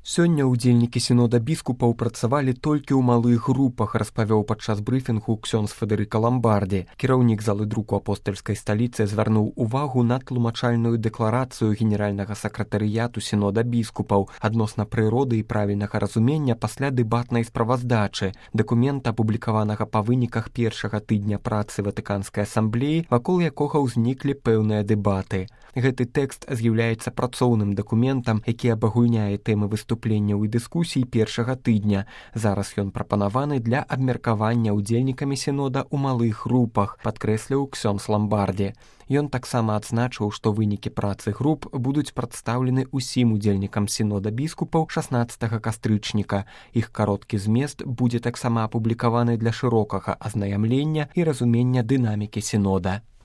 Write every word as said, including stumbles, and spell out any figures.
Сёння ўдзельнікі сінода біскупаў працавалі толькі ў малых групах, распавёў падчас брыфінгу ксёндз Федэрыка Ламбарді. Кіраўнік залы друку апостальскай сталіцы звярнуў увагу на тлумачальную дэкларацыю генеральнага сакратарыяту сінода біскупаў адносна прыроды і правільнага разумення пасля дэбатнай справаздачы, дакумента, апублікаванага па выніках першага тыдня працы Ватыканскай асамблеі, вакол якога ўзніклі пэўныя дэбаты. Гэты тэкст з'яўляецца працоўным дакументам, які абагульняе тэмы выступленняў і дыскусій першага тыдня. Зараз ён прапанаваны для абмеркавання ўдзельнікамі сінода ў малых групах, падкрэсліў ксёндз Ламбарді. Ён таксама адзначыў, што вынікі працы груп будуць прадстаўлены ўсім удзельнікам сінода біскупаў шаснаццатага кастрычніка. Іх кароткі змест будзе таксама апублікаваны для шырокага азнаямлення і разумення дынамікі сінода.